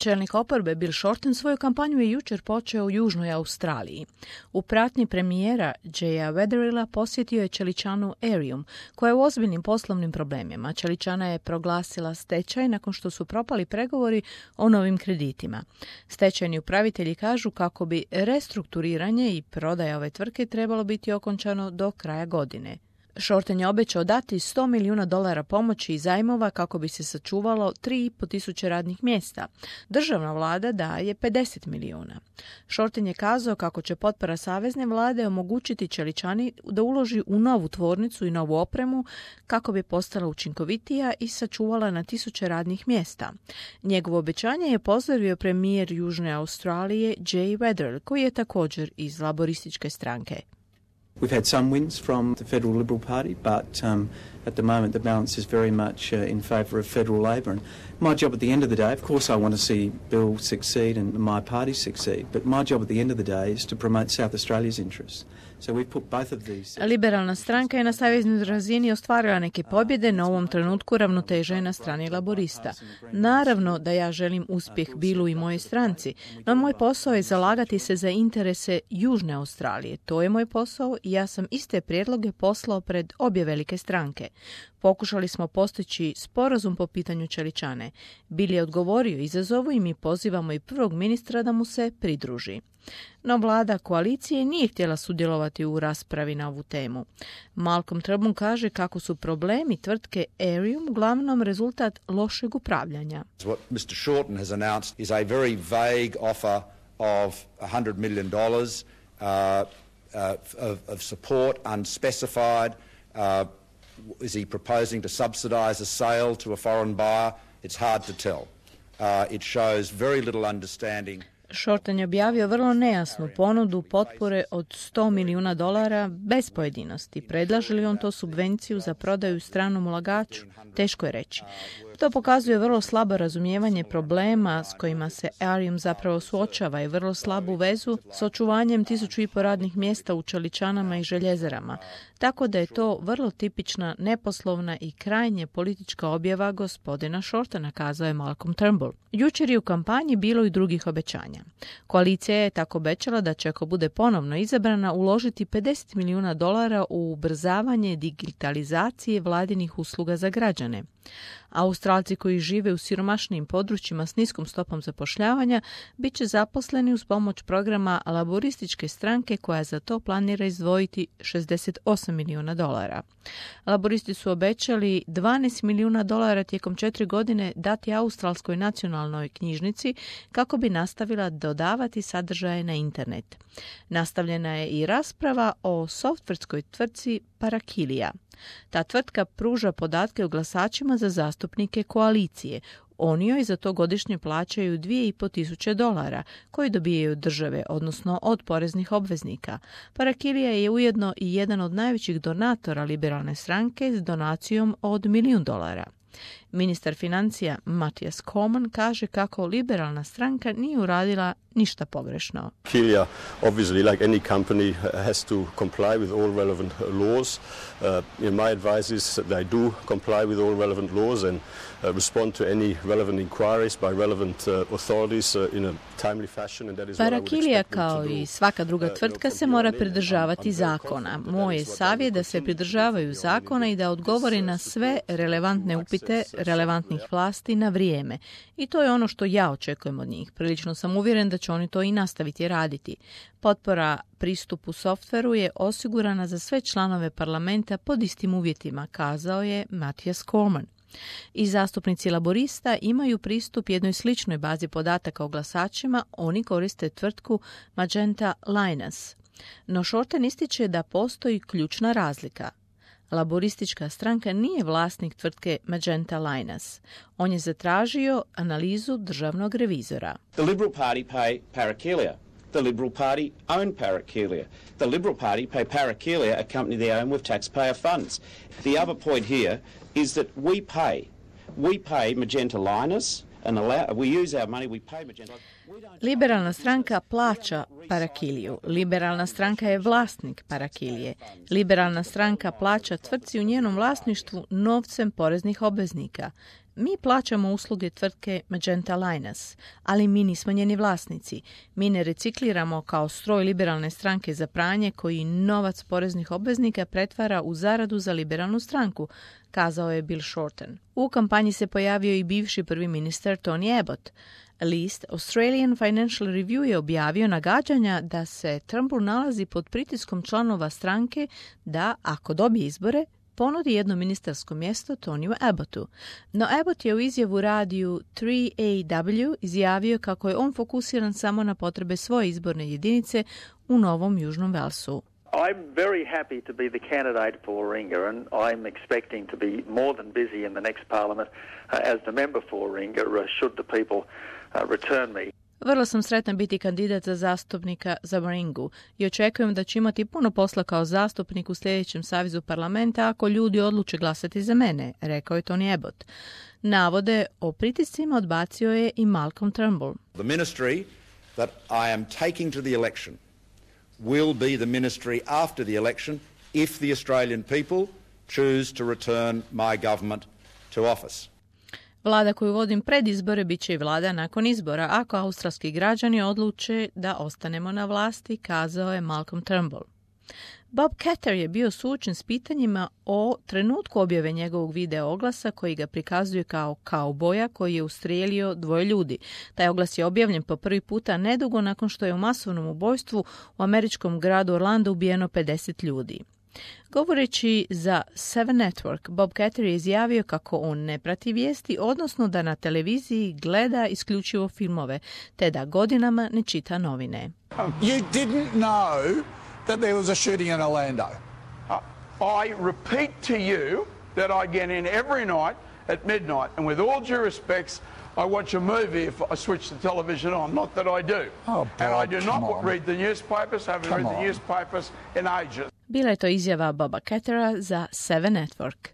Čelnik oporbe Bill Shorten svoju kampanju je jučer počeo u Južnoj Australiji. U pratnji premijera Jaya Wetherilla posjetio je čeličanu Aerium, koja je u ozbiljnim poslovnim problemima. Čeličana je proglasila stečaj nakon što su propali pregovori o novim kreditima. Stečajni upravitelji kažu kako bi restrukturiranje i prodaja ove tvrtke trebalo biti okončano do kraja godine. Shorten je obećao dati $100 milijuna pomoći i zajmova kako bi se sačuvalo 3.500 radnih mjesta. Državna vlada daje 50 milijuna. Shorten je kazao kako će potpora savezne vlade omogućiti čeličani da uloži u novu tvornicu i novu opremu kako bi postala učinkovitija i sačuvala na 1000 radnih mjesta. Njegovo obećanje je pozdravio premijer Južne Australije Jay Weatherill, koji je također iz laborističke stranke. We've had some wins from the Federal Liberal Party, but at the moment the balance is very much in favour of federal Labor. And my job at the end of the day, of course I want to see Bill succeed and my party succeed, but my job at the end of the day is to promote South Australia's interests. So we've put both of these... Liberalna stranka je na saveznoj razini ostvarila neke pobjede, na ovom trenutku ravnoteža je na strani laborista. Naravno da ja želim uspjeh Billu i mojoj stranci, no moj posao je zalagati se za interese Južne Australije. To je moj posao i ja sam iste prijedloge poslao pred obje velike stranke. Pokušali smo postići sporazum po pitanju čeličane. Bill je odgovorio izazovu i mi pozivamo i prvog ministra da mu se pridruži. No vlada koalicije nije htjela sudjelovati u raspravi na ovu temu. Malcolm Turnbull kaže kako su problemi tvrtke Aerium uglavnom rezultat lošeg upravljanja. What Mr. Shorten has announced is a very vague offer of $100 million of support, unspecified. Is he proposing to subsidise a sale to a foreign buyer? It's hard to tell. It shows very little understanding. Shorten je objavio vrlo nejasnu ponudu potpore od $100 milijuna bez pojedinosti. Predlaže li on to subvenciju za prodaju stranom ulagaču? Teško je reći. To pokazuje vrlo slabo razumijevanje problema s kojima se Aerium zapravo suočava i vrlo slabu vezu s očuvanjem 1500 radnih mjesta u čeličanama i željezarama. Tako da je to vrlo tipična, neposlovna i krajnje politička objava gospodina Shortena, kazao je Malcolm Turnbull. Jučer je u kampanji bilo i drugih obećanja. Koalicija je tako obećala da će, ako bude ponovno izabrana, uložiti $50 milijuna u ubrzavanje digitalizacije vladinih usluga za građane. Australci koji žive u siromašnijim područjima s niskom stopom zapošljavanja bit će zaposleni uz pomoć programa laborističke stranke koja za to planira izdvojiti $68 milijuna. Laboristi su obećali $12 milijuna tijekom 4 godine dati Australskoj nacionalnoj knjižnici kako bi nastavila dodavati sadržaje na internet. Nastavljena je i rasprava o softverskoj tvrtci Parakilia. Ta tvrtka pruža podatke o glasačima za zastupnike koalicije. Oni joj za to godišnje plaćaju $2.500 koji dobijaju od države, odnosno od poreznih obveznika. Parakilia je ujedno i jedan od najvećih donatora liberalne stranke s donacijom od $1 milijun. Ministar financija Matthias Cormann kaže kako liberalna stranka nije uradila ništa pogrešno. Parakilia, obviously, like any company, has to comply with all relevant laws. My advice is that they do comply with all relevant laws and respond to any relevant inquiries by relevant authorities in a timely fashion. And that is what I would expect them to do. Parakilia, kao i svaka druga tvrtka, se mora pridržavati zakona. Moj je savjet da se pridržavaju zakona i da odgovore na sve relevantne upite relevantnih vlasti na vrijeme. I to je ono što ja očekujem od njih. Prilično sam uvjeren da će oni to i nastaviti raditi. Potpora pristupu softveru je osigurana za sve članove parlamenta pod istim uvjetima, kazao je Matthias Cormann. I zastupnici laborista imaju pristup jednoj sličnoj bazi podataka o glasačima, oni koriste tvrtku Magenta Linus. No Shorten ističe da postoji ključna razlika. Laboristička stranka nije vlasnik tvrtke Magenta Linus. On je zatražio analizu državnog revizora. The Liberal Party pay Parakilia. The Liberal Party own Parakilia. The Liberal Party pay Parakilia, a company they own with taxpayer funds. The other point here is that we pay Magenta Linus and we use our money, we pay Magenta. Liberalna stranka plaća Parakiliju. Liberalna stranka je vlasnik Parakilije. Liberalna stranka plaća tvrtci u njenom vlasništvu novcem poreznih obveznika. mi plaćamo usluge tvrtke Magenta Linus, ali mi nismo njeni vlasnici. Mi ne recikliramo kao stroj liberalne stranke za pranje koji novac poreznih obveznika pretvara u zaradu za liberalnu stranku, kazao je Bill Shorten. U kampanji se pojavio i bivši prvi ministar Tony Abbott. List Australian Financial Review je objavio nagađanja da se Turnbull nalazi pod pritiskom članova stranke da, ako dobije izbore, ponudi jedno ministarsko mjesto Tonyu Abbottu. No Abbott je u izjavu radiju 3AW izjavio kako je on fokusiran samo na potrebe svoje izborne jedinice u Novom Južnom Velsu. I'm very happy to be the candidate for Warringah, and I'm expecting to be more than busy in the next parliament as the member for Warringah should the people return me. Vrlo sam sretan biti kandidat za zastupnika za Warringah i očekujem da ću imati puno posla kao zastupnik u sljedećem savezu parlamenta ako ljudi odluče glasati za mene, rekao je Tony Abbott. Navode o pritiscima odbacio je i Malcolm Turnbull. The ministry that I am taking to the election will be the ministry after the election if the Australian people choose to return my government to office. Vlada koju vodim pred izbore bit će i vlada nakon izbora, ako australski građani odluče da ostanemo na vlasti, kazao je Malcolm Turnbull. Bob Katter je bio suočen s pitanjima o trenutku objave njegovog video oglasa koji ga prikazuje kao kauboja koji je ustrijelio 2 ljudi. Taj oglas je objavljen po prvi puta nedugo nakon što je u masovnom ubojstvu u američkom gradu Orlando ubijeno 50 ljudi. Govoreći za Seven Network, Bob Katter je izjavio kako on ne prati vijesti, odnosno da na televiziji gleda isključivo filmove, te da godinama ne čita novine. You didn't know that there was a shooting in Orlando. I repeat to you that I get in every night at midnight, and with all due respects, I watch a movie if I switch the television on. Not that I do. Oh, Bob, and I do not read the newspapers, haven't read the newspapers in ages. Bila je to izjava Boba Kattera za Seven Network.